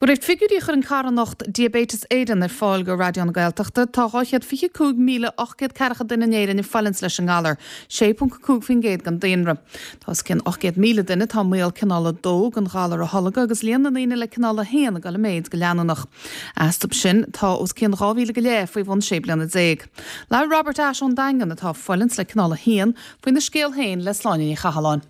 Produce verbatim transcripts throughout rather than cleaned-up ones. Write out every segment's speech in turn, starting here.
De réir figiúirí a chuir an charthanacht Diabetes Éireann ar fáil go Raidió na Gaeltachta tá dhá chéad fiche cúig míle ocht gcéad ceathracha duine in Éirinn ag fulaingt leis an ngalar, sé ponc cúig faoin gcéad den daonra. Tá os cionn ocht gcéad míle duine atá i mbaol cineál a dó den ghalar a tholgadh agus líon na ndaoine le cineál a haon ag dul i méid go leanúnach. Astu sin tá os cionn dhá mhíle go leith faoi bhun sé bliana déag. Labhair Robert Ashe ón Daingean atá ag fulaingt le cineál a haon faoina scéal féin le Sláine Ní Chathalláin.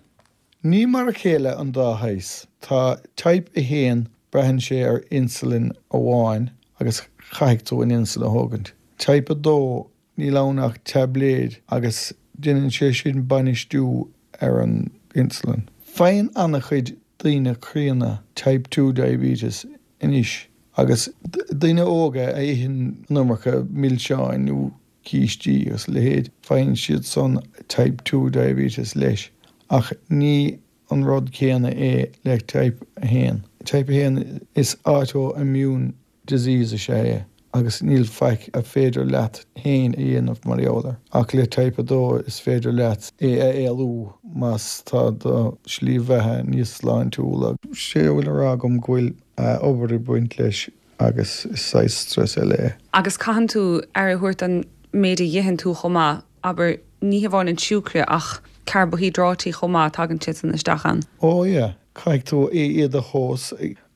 Ní mar a chéile an dá shaghas. Tá type a haon braitheann sé ar insulin amháin agus caithfidh tú an insulin a thógaint. Type a dó níl ann ach taibléid agus déanann sé sin bainistiú ar an insulin. Faigheann an-chuid daoine críonna type two diabetes anois agus daoine óga a itheann an iomarca milseáin nó cístí agus a leithéid, faigheann siad san type two diabetes leis ach ní an rud céanna é le type a haon. Type a haon is autoimmune disease is ea é agus níl faic a féidir leat féin a dhéanamh mar gheall air. Ach le type a dó is féidir leat é a éalú más tá do shlí bheatha níos sláintiúla. Sé a bhfuil a rá agam go bhfuil obair ag baint leis agus is saghas stress eile é. Agus caitheann tú aire a thabhairt an méid a itheann tú chomh maith, abair ní hamháin an siúcra ach carbaihiodráití chomh maith tagann siad san isteach ann. Ó yeah, caithfidh tú iad a thomhas,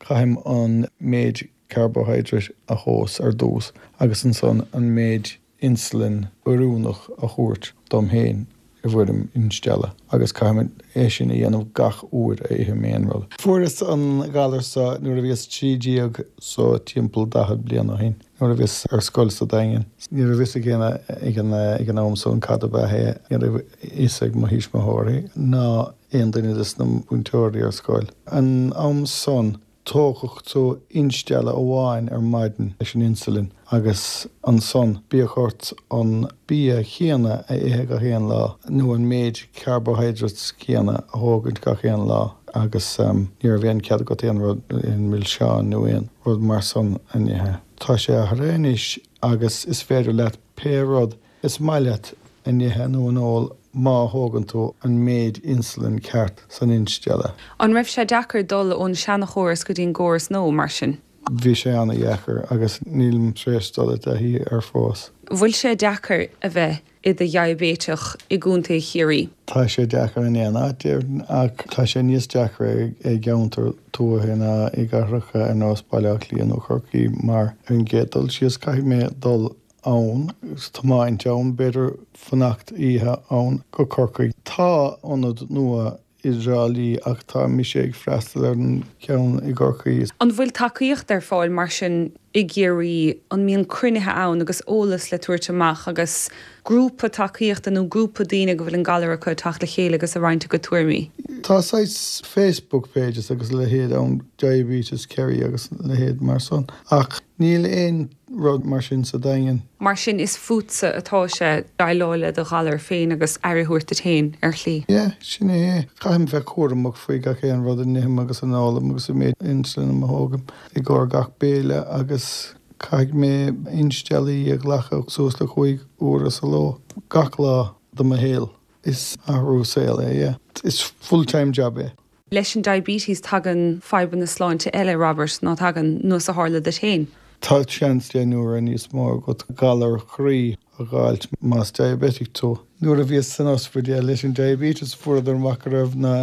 caithim an méid carbohydrate a thomhas ar dtús agus ansan an méid insulin oiriúnach a thabhairt dom féin i bhfoirm instealladh agus caithim é sin a dhéanamh gach uair a ithim aon rud. Fuaireas an galar seo nuair a bhíos trí déag so timpeall daichead bliain ó shin, nuair a bhíos ar scoil sa Daingean. Ní raibh fhios ag éinne ag an ag an am san cad ab ea é, ní raibh fhios ag mo thuismitheoirí ná aon duine de na múinteoirí ar scoil. An am san tógadh tú instealladh amháin ar maidin leis an insulin agus ansan bíodh ort an bia chéanna a ithe gach aon lá nó an méid carbohydrates céanna a thógaint gach aon lá agus ní raibh aon cead agat aon rud aon milseán nó aon rud mar san a ithe. Tá sé athraithe anois agus is féidir leat pé rud is maith leat a ithe nó a ól má thógann tú an méid insulin ceart san instealladh. An raibh sé deacair dul ón seanchóras go dtí an gcóras nua mar sin? Bhí sé an-dheacair agus nílim tar éis dul i dtaithí air fós. Bhfuil sé deacair a bheith i do dhiaibéiteach i gContae Chiarraí? Tá sé deacair in aon áit ach tá sé níos deacra i gceantar tuaithe ná i gcathracha ar nós Baile Átha Cliath nó Corcaigh mar ar an gcéad dul síos caithfidh mé dul ann tiomáint ann b'fhéidir fanacht oíche ann go Corcaigh. Tá ionad nua i dTrá Lí ach tá mise ag freastal ar an ceann i gCorcaigh. An bhfuil tacaíocht ar fáil mar sin i gCiarraí, an mbíonn cruinnithe ann agus eolas le tabhairt amach agus grúpa tacaíochta nó grúpa daoine go bhfuil an galar acu teacht le chéile agus a roinnt a gcuid tuairimí? Tá saghas Facebook pages agus a leithéid ann Diabetes Kerry agus a leithéid mar san ach níl aon rud mar sin sa Daingean. Mar sin is fútsa atá sé déileáil le do ghalar féin agus aire a thabhairt duit féin ar shlí. Yeah, sin é. Caithim bheith cúramach faoi gach aon rud a n-ithim agus a n-ólaim agus an méid insulin a thógaim i gcomhair gach béile agus caithfidh mé insteallaí a ghlacadh suas le cúig uaire sa ló gach lá de mo shaol. Is athrú saoil é, yeah. Is full-time job é. Leis an diabetes tagann fadhbanna sláinte eile, Robert, ná tagann nós a tharla duit féin. Tá seans deich n-uaire níos mó agat galar croí a dh'fháilt más diabetic tú. Nuair a bhíos san ospidéal leis an diabetes fuaireadar amach go raibh na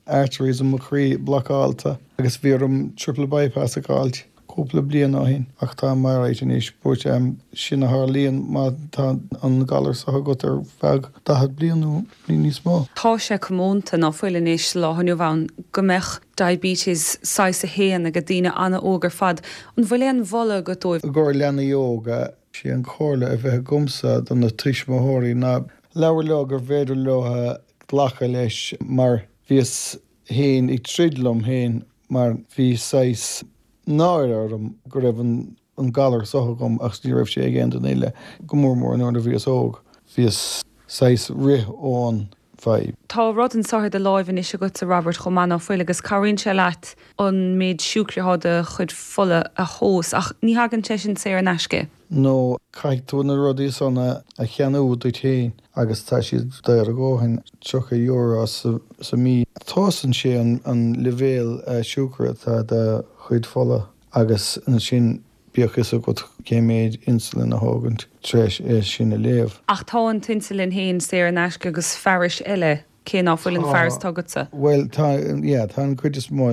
arteries i mo chroí blocáilte agus bhí orm triple bypass a dh'fháilt cúpla bliain ó shin ach táim alright anois but sin a tharlaíonn má tá an galar seo agat ar feadh daichead bliain nó níos mó. Tá sé comónta ná fuil anois sa lá inniu ann go mbeadh diabetes saghas a haon ag daoine an-óg ar fad. An bhfuil aon mholadh agat dóibh? I gcomhair leanaí óga, sé an chomhairle a bheith agamsa do na tuismitheoirí ná labhair leo gur bhféidir leo glacadh leis mar bhíos féin ag troid liom féin mar bhí saghas náire orm go raibh an an galar seo agam ach ní raibh sé ag aon duine eile, go mór mór nuair a bhíos óg. Bhíos saghas rith ón bhfadhb. Tá rud anso ar do láimh anois agatsa Robert chomh maith ná fuil agus cabhraíonn sé leat an méid siúcra atá i do chuid fola a thomhas ach ní thagann sé sin saor in aisce. No caithfidh tú na rudaí san a cheannú duit féin agus tá siad daor a dhóthain, tríocha euro sa mí. Tomhaiseann sé an leibhéal siúcra atá i do chuid fola Agus ansin bíodh fhios agat cé méid insulin a thógaint tar éis é sin a léamh. Ach tá an t-insulin féin saor in aisce agus fearais eile, cé ná fuil an fearas atá agatsa? Bhuel tá, yeah, tá an cuid is mó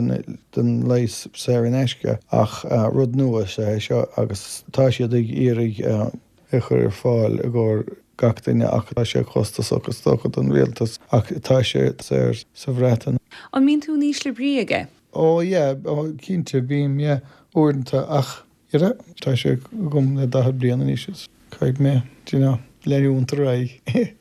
den leigheas saor in aisce ach rud nua is ea é seo agus tá siad ag iarraidh é a chur ar fáil i gcomhair gach duine ach tá sé costasach is dócha don rialtas ach tá sé saor sa Bhreatain. An mbíonn tú in ísle brí aige? Ó yeah, ó cinnte bím, yeah, uaireanta ach you know, tá sé agam le daichead bliain anois is caithfidh mé, do you know, leanúint ar aghaidh.